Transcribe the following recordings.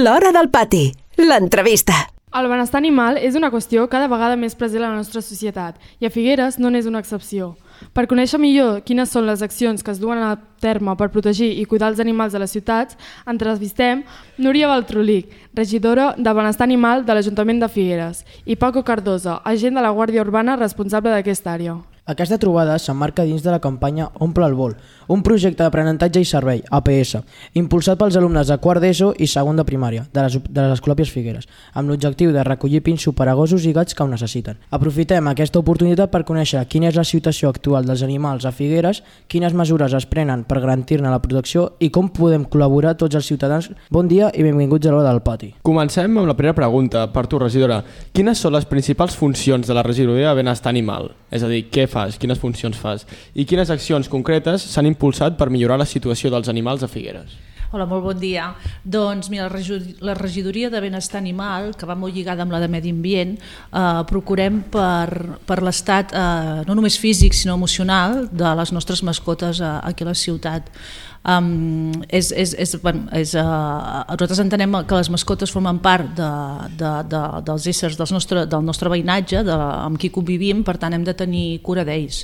L'Hora del Pati, l'entrevista. El benestar animal és una qüestió cada vegada més present a la nostra societat i a Figueres no n'és una excepció. Per conèixer millor quines són les accions que es duen a terme per protegir i cuidar els animals de les ciutats, entrevistem Núria Baltrolic, regidora de Benestar Animal de l'Ajuntament de Figueres, i Paco Cardoso, agent de la Guàrdia Urbana responsable d'aquesta àrea. Aquesta trobada s'emmarca dins de la campanya Omple el Vol, un projecte d'aprenentatge i servei, APS, impulsat pels alumnes de quart d'ESO i segon de primària de les Escolàpies Figueres, amb l'objectiu de recollir pinsos per a gossos i gats que ho necessiten. Aprofitem aquesta oportunitat per conèixer quina és la situació actual dels animals a Figueres, quines mesures es prenen per garantir-ne la protecció i com podem col·laborar tots els ciutadans. Bon dia i benvinguts a l'Hora del Pati. Comencem amb la primera pregunta per tu, regidora. Quines són les principals funcions de la regidoria de benestar animal? És a dir, què fas, quines funcions fas i quines accions concretes s'han impulsat per millorar la situació dels animals a Figueres? Hola, molt bon dia. Doncs mira, la regidoria de benestar animal, que va molt lligada amb la de medi ambient, procurem per l'estat no només físic sinó emocional de les nostres mascotes aquí a la ciutat. Nosaltres entenem que les mascotes formen part dels éssers del nostre veïnatge, amb qui convivim, per tant hem de tenir cura d'ells.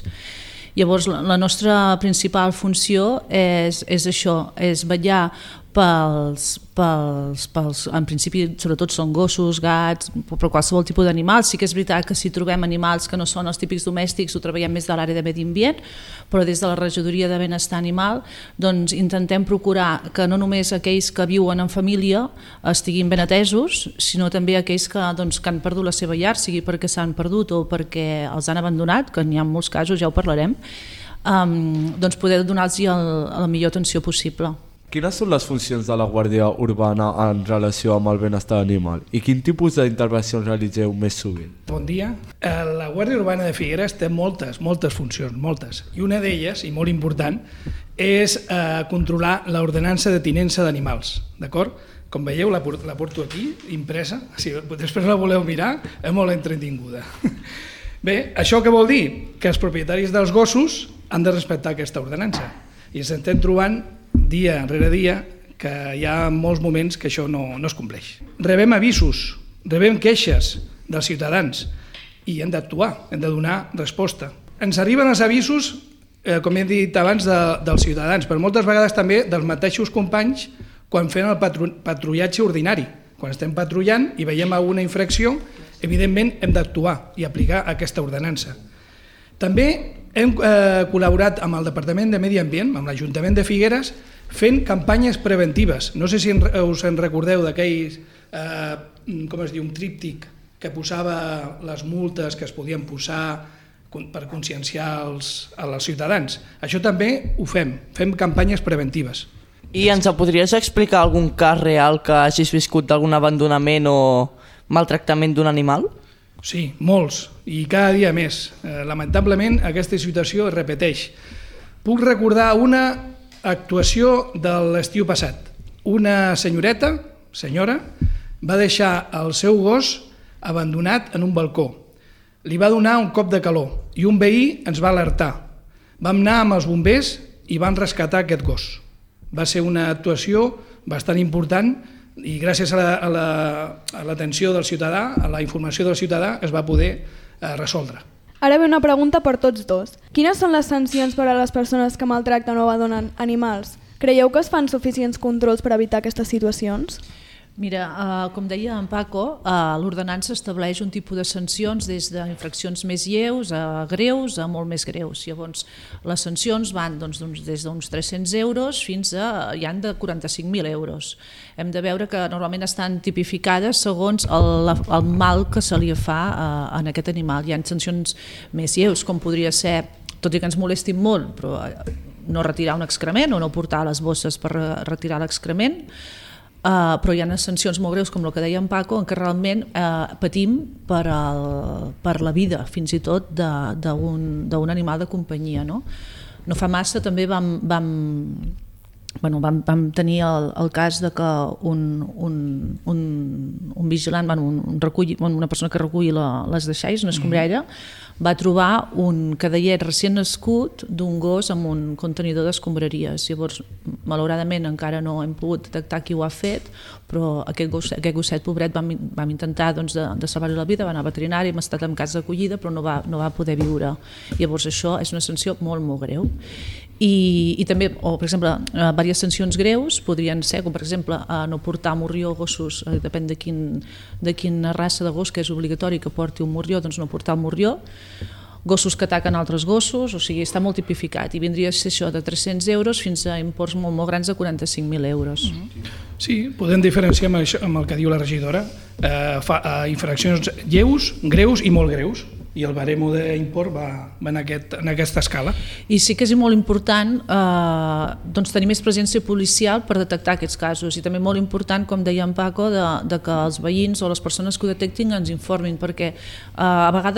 Llavors la nostra principal funció és això, és vetllar pels, en principi sobretot són gossos, gats, però qualsevol tipus d'animals. Sí que és veritat que si trobem animals que no són els típics domèstics ho treballem més de l'àrea de medi ambient, però des de la regidoria de benestar animal doncs intentem procurar que no només aquells que viuen en família estiguin ben atesos, sinó també aquells que han perdut la seva llar, sigui perquè s'han perdut o perquè els han abandonat, que n'hi ha molts casos, ja ho parlarem, doncs poder donar-los la millor atenció possible. Quines són les funcions de la Guàrdia Urbana en relació amb el benestar animal i quin tipus d'intervencions realitzeu més sovint? Bon dia. La Guàrdia Urbana de Figueres té moltes funcions, moltes. I una d'elles, i molt important, és controlar l'ordenança de tinença d'animals. D'acord? Com veieu, la porto aquí, impresa. Si després la voleu mirar, és molt entretinguda. Bé, això què vol dir? Que els propietaris dels gossos han de respectar aquesta ordenança. I ens estem trobant dia rere dia que hi ha molts moments que això no es compleix. Rebem avisos, rebem queixes dels ciutadans i hem d'actuar, hem de donar resposta. Ens arriben els avisos, com he dit abans, dels ciutadans, però moltes vegades també dels mateixos companys quan fem el patrullatge ordinari. Quan estem patrullant i veiem alguna infracció, evidentment hem d'actuar i aplicar aquesta ordenança. També hem col·laborat amb el Departament de Medi Ambient, amb l'Ajuntament de Figueres, fent campanyes preventives. No sé si us en recordeu d'aquell, un tríptic que posava les multes que es podien posar per conscienciar els ciutadans. Això també ho fem campanyes preventives. I ens podries explicar algun cas real que hagis viscut d'algun abandonament o maltractament d'un animal? Sí, molts, i cada dia més. Lamentablement aquesta situació es repeteix. Puc recordar una actuació de l'estiu passat. Una senyora, va deixar el seu gos abandonat en un balcó. Li va donar un cop de calor i un veí ens va alertar. Vam anar amb els bombers i van rescatar aquest gos. Va ser una actuació bastant important i gràcies a l'atenció del ciutadà, a la informació del ciutadà, es va poder resoldre. Ara ve una pregunta per tots dos. Quines són les sancions per a les persones que maltracten o abandonen animals? Creieu que es fan suficients controls per evitar aquestes situacions? Mira, com deia en Paco, l'ordenança estableix un tipus de sancions des d'infraccions més lleus a greus a molt més greus. Llavors, les sancions van des d'uns 300 euros fins a hi han de 45.000 euros. Hem de veure que normalment estan tipificades segons el mal que se li fa en aquest animal. Hi ha sancions més lleus, com podria ser, tot i que ens molestin molt, però no retirar un excrement o no portar les bosses per retirar l'excrement, però hi ha sancions molt greus com el que deia en Paco en què realment patim per la vida fins i tot d'un animal de companyia. No fa massa també vam tenir el cas de que un vigilant, una persona que recull les deixalles, una escombrera, va trobar un cadellet recient nascut d'un gos amb un contenidor d'escombraries. Llavors, malauradament encara no hem pogut detectar qui ho ha fet, però aquest gosset pobret vam intentar doncs, de salvar-li la vida, va anar a veterinari, hem estat en casa d'acollida però no va poder viure. Llavors això és una sanció molt, molt greu. I també, o per exemple, diverses sancions greus podrien ser, com per exemple no portar morrió a gossos, depèn de quina raça de gos, que és obligatori que porti un morrió, doncs no portar el morrió, gossos que ataquen altres gossos, o sigui, està molt tipificat i vindria a ser això de 300 euros fins a imports molt, molt grans de 45.000 euros. Sí, podem diferenciar amb el que diu la regidora, infraccions lleus, greus i molt greus, i el baremo d'import va en aquesta escala. I sí que és molt important doncs, tenir més presència policial per detectar aquests casos, i també molt important, com deia en Paco, de que els veïns o les persones que ho detectin ens informin, perquè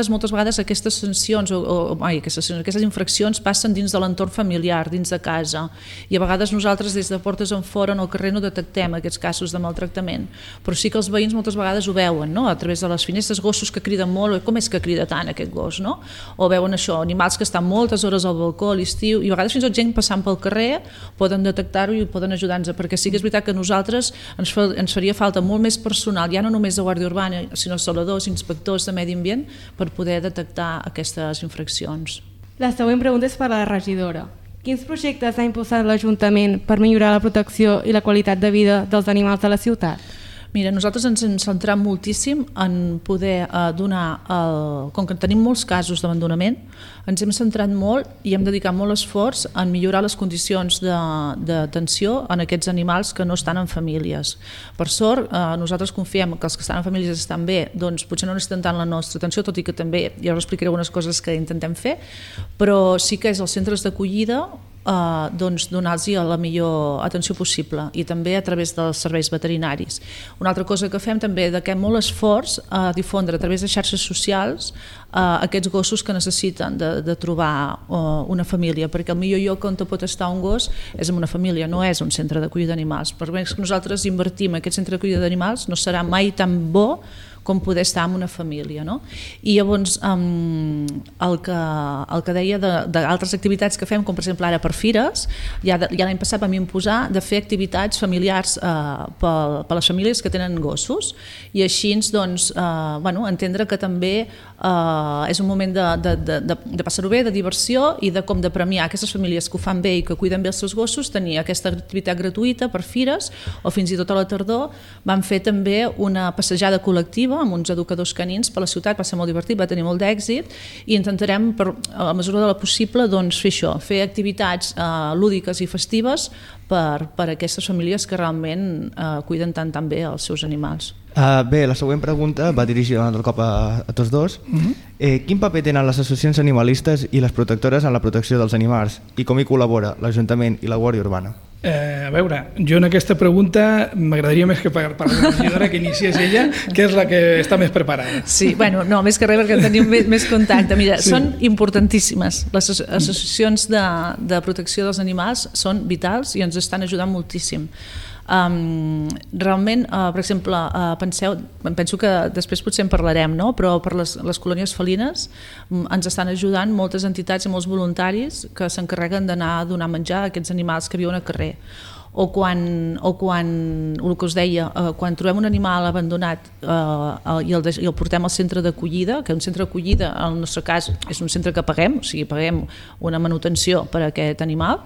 moltes vegades aquestes sancions aquestes infraccions passen dins de l'entorn familiar, dins de casa, i a vegades nosaltres des de portes enfora en el carrer no detectem aquests casos de maltractament, però sí que els veïns moltes vegades ho veuen, no? A través de les finestres, gossos que criden molt, com és que crida tant aquest gos, no? O veuen això, animals que estan moltes hores al balcó a l'estiu, i a vegades fins i tot gent passant pel carrer poden detectar-ho i poden ajudar-nos, perquè sí que és veritat que a nosaltres ens faria falta molt més personal, ja no només de Guàrdia Urbana, sinó saladors, inspectors de medi ambient, per poder detectar aquestes infraccions. La següent pregunta és per a la regidora. Quins projectes ha impulsat l'Ajuntament per millorar la protecció i la qualitat de vida dels animals de la ciutat? Mira, nosaltres ens hem centrat moltíssim en poder donar, com que tenim molts casos d'abandonament, ens hem centrat molt i hem dedicat molt esforç en millorar les condicions d'atenció en aquests animals que no estan en famílies. Per sort, nosaltres confiem que els que estan en famílies estan bé, doncs potser no necessiten tant la nostra atenció, tot i que també, ja us explicaré algunes coses que intentem fer, però sí que és els centres d'acollida doncs donar-los la millor atenció possible, i també a través dels serveis veterinaris. Una altra cosa que fem també, dediquem molt esforç a difondre a través de xarxes socials aquests gossos que necessiten de trobar una família, perquè el millor lloc on pot estar un gos és en una família, no és un centre d'acollida d'animals. Per més que nosaltres invertim en aquest centre d'acollida d'animals, no serà mai tan bo com poder estar en una família, no? I llavors el que deia d'altres activitats que fem, com per exemple ara per fires, ja l'any passat vam imposar de fer activitats familiars per les famílies que tenen gossos, i així doncs, entendre que també és un moment de passar-ho bé, de diversió, i de com de premiar aquestes famílies que ho fan bé i que cuiden bé els seus gossos, tenir aquesta activitat gratuïta per fires, o fins i tot a la tardor vam fer també una passejada col·lectiva amb uns educadors canins per la ciutat, va ser molt divertit, va tenir molt d'èxit, i intentarem, a mesura de la possible, doncs, fer això, fer activitats lúdiques i festives per a aquestes famílies que realment cuiden tan bé els seus animals. Bé, la següent pregunta va dirigida un altre cop a tots dos. Quin paper tenen les associacions animalistes i les protectores en la protecció dels animals, i com hi col·labora l'Ajuntament i la Guàrdia Urbana? A veure, jo en aquesta pregunta m'agradaria més que per la regidora que iniciés ella, que és la que està més preparada. Sí, bueno, no, més que res perquè tenim més contacte. Mira, sí. Són importantíssimes. Les associacions de protecció dels animals són vitals i ens estan ajudant moltíssim. Realment, per exemple, penso que després potser en parlarem, no? Però per les colònies felines ens estan ajudant moltes entitats i molts voluntaris que s'encarreguen d'anar a donar menjar a aquests animals que viuen al carrer. O quan, el que us deia, quan trobem un animal abandonat i el portem al centre d'acollida, que un centre d'acollida, en el nostre cas, és un centre que paguem, o sigui, paguem una manutenció per a aquest animal,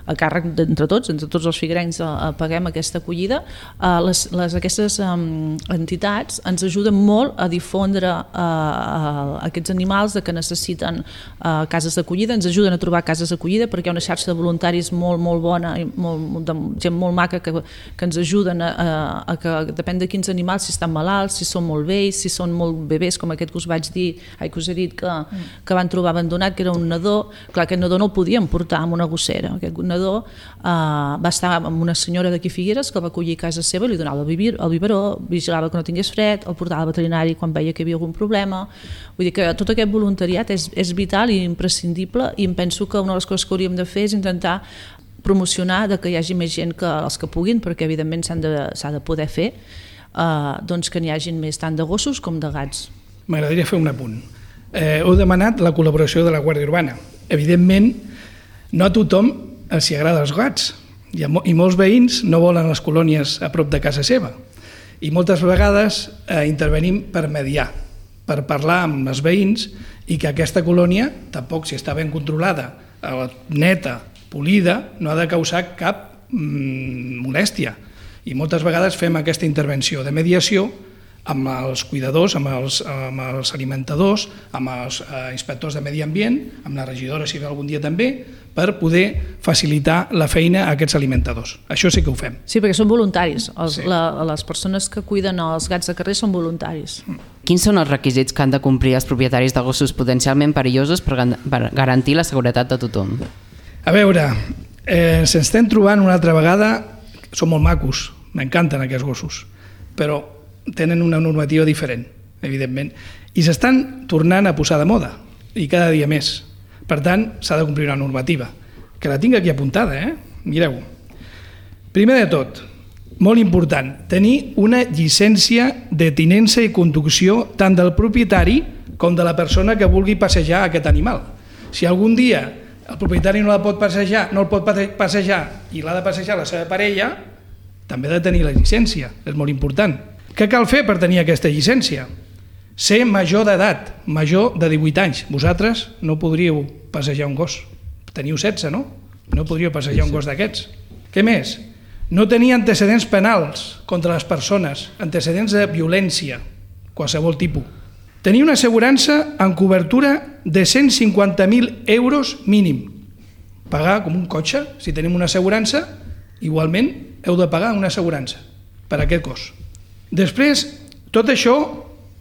a càrrec d'entre tots els figuerencs paguem aquesta acollida, aquestes entitats ens ajuden molt a difondre aquests animals que necessiten cases d'acollida, ens ajuden a trobar cases d'acollida perquè hi ha una xarxa de voluntaris molt bona i de gent molt maca que ens ajuden a que depèn de quins animals, si estan malalts, si són molt vells, si són molt bebès, com aquest que us vaig dir, que us he dit que van trobar abandonat, que era un nadó. Clar, aquest nadó no el podíem portar amb una gossera, aquest nadó va estar amb una senyora d'aquí Figueres que el va acollir a casa seva, li donava el biberó, vigilava que no tingués fred, el portava al veterinari quan veia que hi havia algun problema. Vull dir que tot aquest voluntariat és vital i imprescindible, i em penso que una de les coses que hauríem de fer és intentar promocionar que hi hagi més gent, que els que puguin, perquè evidentment s'ha de poder fer, doncs que n'hi hagin més tant de gossos com de gats. M'agradaria fer un apunt. Heu demanat la col·laboració de la Guàrdia Urbana. Evidentment, no a tothom els agrada els gats, i molts veïns no volen les colònies a prop de casa seva. I moltes vegades intervenim per mediar, per parlar amb els veïns i que aquesta colònia, tampoc si està ben controlada, neta, polida, no ha de causar cap molèstia. I moltes vegades fem aquesta intervenció de mediació amb els cuidadors, amb els alimentadors, amb els inspectors de medi ambient, amb la regidora si ve algun dia també, per poder facilitar la feina a aquests alimentadors. Això sí que ho fem. Sí, perquè són voluntaris. Les persones que cuiden els gats de carrer són voluntaris. Quins són els requisits que han de complir els propietaris de gossos potencialment perillosos per garantir la seguretat de tothom? A veure, ens estem trobant una altra vegada, són molt macos, m'encanten aquests gossos, però tenen una normativa diferent, evidentment, i s'estan tornant a posar de moda, i cada dia més. Per tant, s'ha de complir una normativa, que la tinc aquí apuntada, mireu. Primer de tot, molt important, tenir una llicència de tinença i conducció tant del propietari com de la persona que vulgui passejar aquest animal. Si algun dia el propietari no el pot passejar i l'ha de passejar la seva parella, també ha de tenir la llicència, és molt important. Què cal fer per tenir aquesta llicència? Ser major d'edat, major de 18 anys. Vosaltres no podríeu passejar un gos. Teniu 16, no? No podríeu passejar un gos d'aquests. Què més? No tenir antecedents penals contra les persones, antecedents de violència, qualsevol tipus. Tenir una assegurança amb cobertura de 150.000 euros mínim. Pagar com un cotxe, si tenim una assegurança, igualment heu de pagar una assegurança per aquest gos. Després, tot això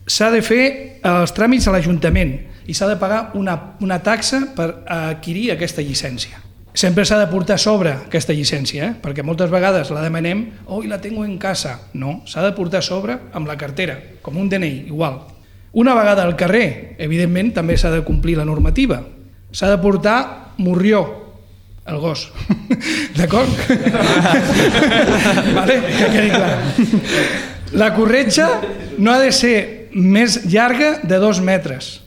s'ha de fer els tràmits a l'Ajuntament i s'ha de pagar una taxa per adquirir aquesta llicència. Sempre s'ha de portar a sobre aquesta llicència, perquè moltes vegades la demanem i la tengo en casa. No, s'ha de portar a sobre amb la cartera, com un DNI, igual. Una vegada al carrer, evidentment, també s'ha de complir la normativa. S'ha de portar morrió, el gos. D'acord? Vale? Que quedi clar. La corretja no ha de ser més llarga de 2 metres.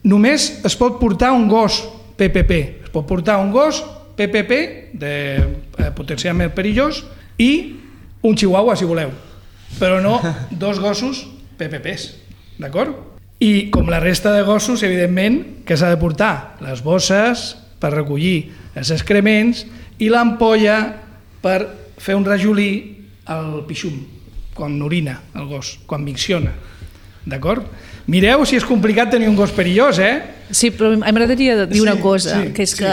Només es pot portar un gos PPP. Es pot portar un gos PPP, de potencialment perillós, i un chihuahua, si voleu. Però no 2 gossos PPPs. D'acord? I com la resta de gossos, evidentment, que s'ha de portar les bosses per recollir els excrements i l'ampolla per fer un rajolí al pixum, quan orina el gos, quan micciona. D'acord? Mireu si és complicat tenir un gos perillós, Sí, però m'agradaria dir una cosa, que és que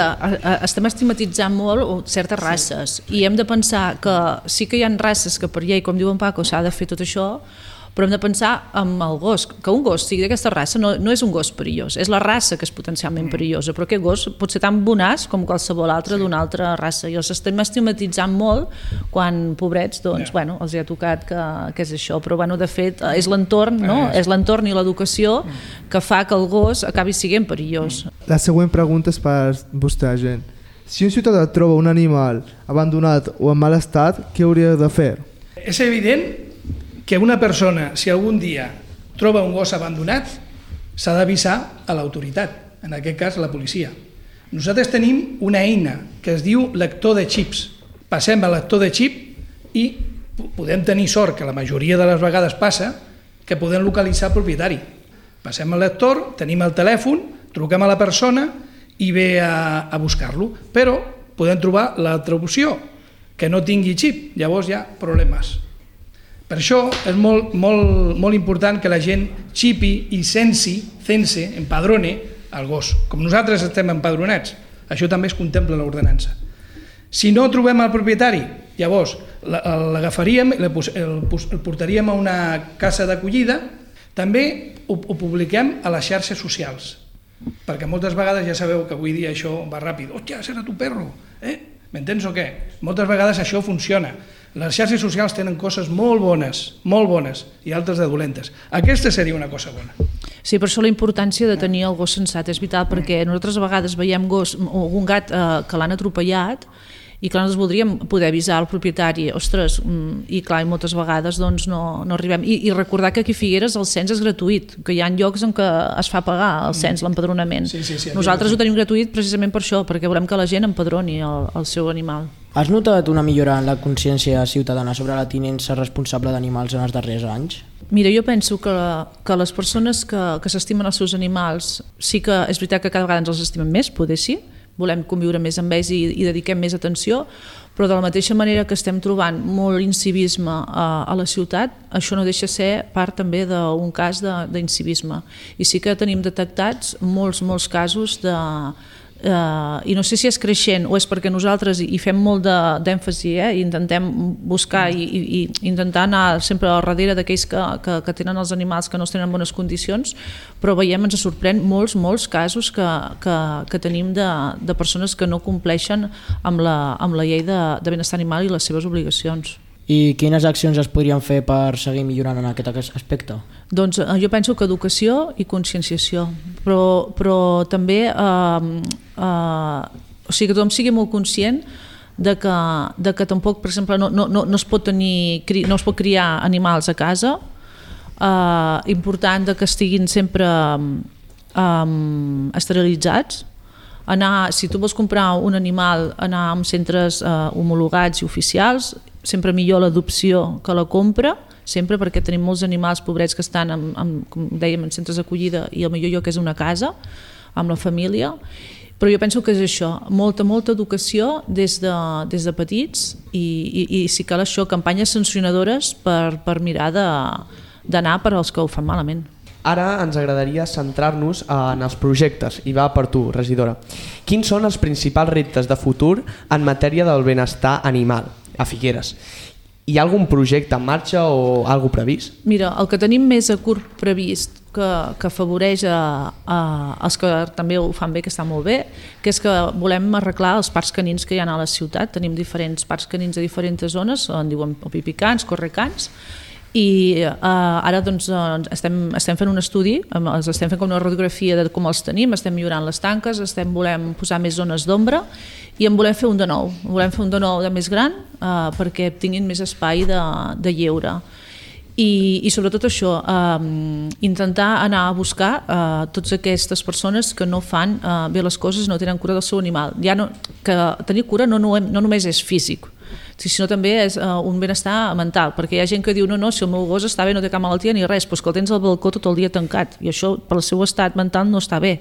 estem estigmatitzant molt certes races i hem de pensar que sí que hi ha races que per llei, com diu en Paco, s'ha de fer tot això, però hem de pensar en el gos, que un gos sigui d'aquesta raça no és un gos perillós, és la raça que és potencialment perillosa, però aquest gos pot ser tan bonaç com qualsevol altre d'una altra raça, i els estem estigmatitzant molt quan, pobrets, doncs, els hi ha tocat que és això, però de fet és l'entorn, no? És l'entorn i l'educació que fa que el gos acabi sent perillós. La següent pregunta és per vostè, gent. Si un ciutadà troba un animal abandonat o en mal estat, què hauria de fer? És evident que una persona, si algun dia troba un gos abandonat, s'ha d'avisar a l'autoritat, en aquest cas a la policia. Nosaltres tenim una eina que es diu lector de xips. Passem al lector de xip i podem tenir sort, que la majoria de les vegades passa, que podem localitzar el propietari. Passem al lector, tenim el telèfon, truquem a la persona i ve a buscar-lo. Però podem trobar l'altra opció, que no tingui xip, llavors hi ha problemes. Per això és molt important que la gent xipi i cense, empadrone el gos. Com nosaltres estem empadronats, això també es contempla en l'ordenança. Si no trobem el propietari, llavors l'agafaríem, el portaríem a una casa d'acollida, també ho publiquem a les xarxes socials, perquè moltes vegades ja sabeu que avui dia això va ràpid. Hòstia, serà tu perro, m'entens o què? Moltes vegades això funciona. Les xarxes socials tenen coses molt bones i altres de dolentes. Aquesta seria una cosa bona. Sí, per això la importància de tenir el gos sensat és vital, perquè nosaltres a vegades veiem un gat que l'han atropellat I clar, nosaltres voldríem poder avisar al propietari, ostres, i clar, moltes vegades doncs, no arribem. I recordar que aquí a Figueres el cens és gratuït, que hi ha llocs en què es fa pagar el cens, l'empadronament. Nosaltres ho tenim gratuït precisament per això, perquè volem que la gent empadroni el seu animal. Has notat una millora en la consciència ciutadana sobre la tinença responsable d'animals en els darrers anys? Mira, jo penso que les persones que s'estimen els seus animals, sí que és veritat que cada vegada ens els estimen més, poder sí, volem conviure més amb ells i dediquem més atenció, però de la mateixa manera que estem trobant molt incivisme a la ciutat, això no deixa ser part també d'un cas d'incivisme. I sí que tenim detectats molts casos i no sé si és creixent o és perquè nosaltres hi fem molt d'èmfasi, intentem buscar i intentar anar sempre al darrere d'aquells que tenen els animals que no tenen bones condicions, però veiem, ens sorprèn molts casos que tenim de persones que no compleixen amb la llei de benestar animal i les seves obligacions. I quines accions es podrien fer per seguir millorant en aquest aspecte? Doncs jo penso que educació i conscienciació, però també o sigui que tothom sigui molt conscient de que tampoc, per exemple, no es pot criar animals a casa, important que estiguin sempre esterilitzats, si tu vols comprar un animal, anar a centres homologats i oficials, sempre millor l'adopció que la compra, sempre perquè tenim molts animals pobrets que estan, com dèiem, en centres d'acollida i el millor lloc és una casa, amb la família, però jo penso que és això, molta educació des de petits i si cal això, campanyes sancionadores per mirar d'anar per als que ho fan malament. Ara ens agradaria centrar-nos en els projectes, i va per tu, regidora. Quins són els principals reptes de futur en matèria del benestar animal a Figueres? Hi ha algun projecte en marxa o alguna previst? Mira, el que tenim més a curt previst que afavoreix els que també ho fan bé, que està molt bé, que és que volem arreglar els parcs canins que hi ha a la ciutat. Tenim diferents parcs canins a diferents zones, en diuen pipicans, correcans, i ara doncs, estem fent un estudi, estem fent com una radiografia de com els tenim, estem millorant les tanques, volem posar més zones d'ombra i en volem fer un de nou, de més gran perquè tinguin més espai de lleure. I sobretot això, intentar anar a buscar totes aquestes persones que no fan bé les coses, no tenen cura del seu animal. Que tenir cura no només és físic, sinó també és un benestar mental, perquè hi ha gent que diu no, si el meu gos està bé, no té cap malaltia ni res, però que el tens al balcó tot el dia tancat i això pel seu estat mental no està bé.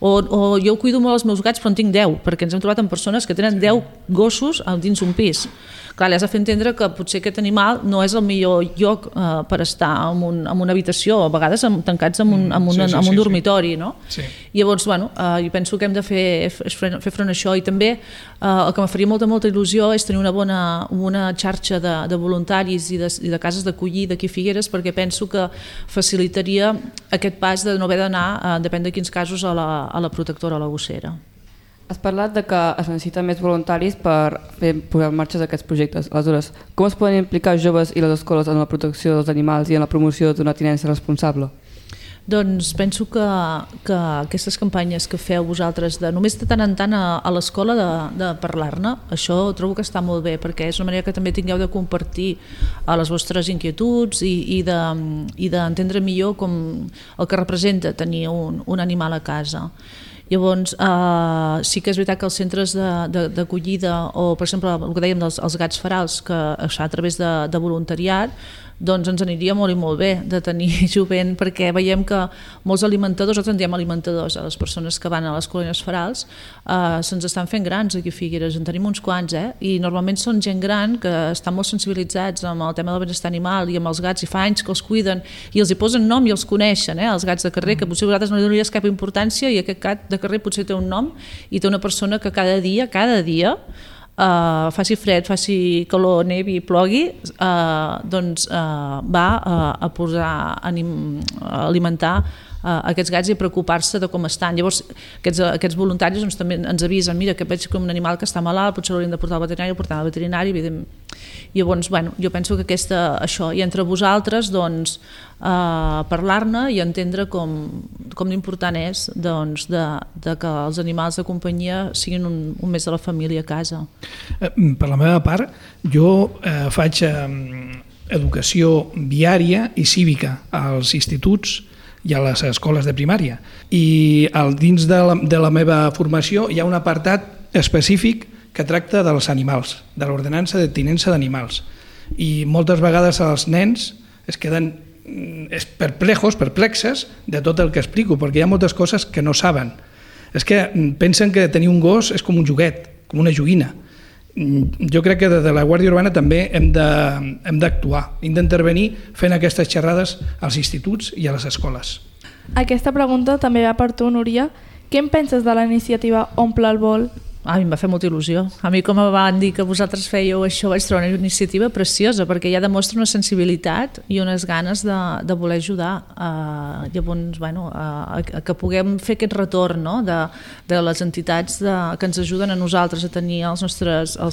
O jo cuido molt els meus gats però en tinc 10, perquè ens hem trobat amb persones que tenen 10 gossos dins un pis. Clar, li has de fer entendre que potser aquest animal no és el millor lloc per estar en una habitació, a vegades tancats en un dormitori, no? Llavors, jo penso que hem de fer front a això i també el que em faria molta il·lusió és tenir una bona xarxa de voluntaris i de cases d'acollida aquí a Figueres, perquè penso que facilitaria aquest pas de no haver d'anar, depèn de quins casos, a la protectora, a la gossera. Has parlat de que es necessiten més voluntaris per posar en marxa aquests projectes. Aleshores, com es poden implicar joves i les escoles en la protecció dels animals i en la promoció d'una tinença responsable? Doncs penso que aquestes campanyes que feu vosaltres, només de tant en tant a l'escola de parlar-ne, això trobo que està molt bé, perquè és una manera que també tingueu de compartir les vostres inquietuds i d'entendre millor com el que representa tenir un animal a casa. Llavors, sí que és veritat que els centres d'acollida o, per exemple, el que dèiem dels gats ferals, que es fa a través de voluntariat, doncs ens aniria molt i molt bé de tenir jovent, perquè veiem que molts alimentadors, nosaltres en diem alimentadors a les persones que van a les colònies ferals, se'ns estan fent grans aquí a Figueres, en tenim uns quants, i normalment són gent gran que estan molt sensibilitzats amb el tema del benestar animal i amb els gats, i fa anys que els cuiden i els hi posen nom i els coneixen, els gats de carrer, que potser vosaltres no li donaries cap importància i aquest gat de carrer potser té un nom i té una persona que cada dia faci fred, faci calor, nevi, plogui, doncs va a posar a alimentar aquests gats i preocupar-se de com estan. Llavors, aquests voluntaris doncs, també ens avisen, mira, que veig com un animal que està malalt, potser l'hauríem de portar al veterinari, Llavors, jo penso que això, i entre vosaltres, doncs, parlar-ne i entendre com d'important és doncs, de que els animals de companyia siguin un mes de la família a casa. Per la meva part, jo faig educació viària i cívica als instituts i a les escoles de primària. I dins de la meva formació hi ha un apartat específic que tracta dels animals, de l'ordenança de tinença d'animals. I moltes vegades els nens es queden perplexes de tot el que explico, perquè hi ha moltes coses que no saben. És que pensen que tenir un gos és com un joguet, com una joguina. Jo crec que des de la Guàrdia Urbana també hem d'actuar, hem d'intervenir fent aquestes xerrades als instituts i a les escoles. Aquesta pregunta també va per tu, Núria. Què en penses de la iniciativa Omple el Vol? A mi em va fer molta il·lusió. A mi, com em van dir que vosaltres fèieu això, vaig trobar una iniciativa preciosa, perquè ja demostra una sensibilitat i unes ganes de voler ajudar. Llavors, que puguem fer aquest retorn, no? de les entitats que ens ajuden a nosaltres a tenir els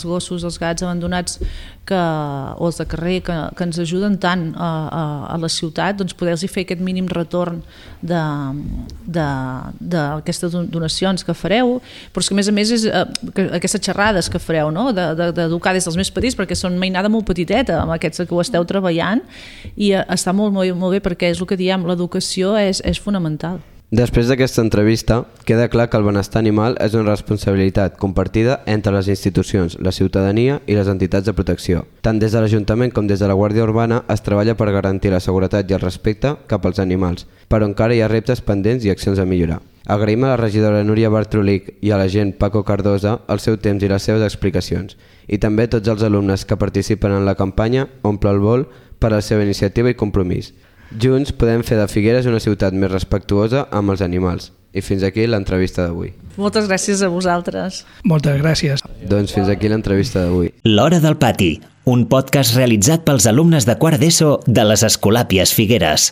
gossos, els gats abandonats o els de carrer, que ens ajuden tant a la ciutat, doncs poder-los fer aquest mínim retorn d'aquestes donacions que fareu, però és que a més és aquestes xerrades que fareu, no? D'educar des dels més petits, perquè són mainada molt petiteta amb aquests que ho esteu treballant, i està molt, molt, molt bé, perquè és el que diem, l'educació és fonamental. Després d'aquesta entrevista, queda clar que el benestar animal és una responsabilitat compartida entre les institucions, la ciutadania i les entitats de protecció. Tant des de l'Ajuntament com des de la Guàrdia Urbana es treballa per garantir la seguretat i el respecte cap als animals, però encara hi ha reptes pendents i accions a millorar. Agraïm a la regidora Núria Bartrolic i a l'agent Paco Cardosa el seu temps i les seves explicacions, i també a tots els alumnes que participen en la campanya Omple el Vol per a la seva iniciativa i compromís. Junts podem fer de Figueres una ciutat més respectuosa amb els animals. I fins aquí l'entrevista d'avui. Moltes gràcies a vosaltres. Moltes gràcies. Doncs fins aquí l'entrevista d'avui. L'Hora del Pati, un podcast realitzat pels alumnes de quart d'ESO de les Escolàpies Figueres.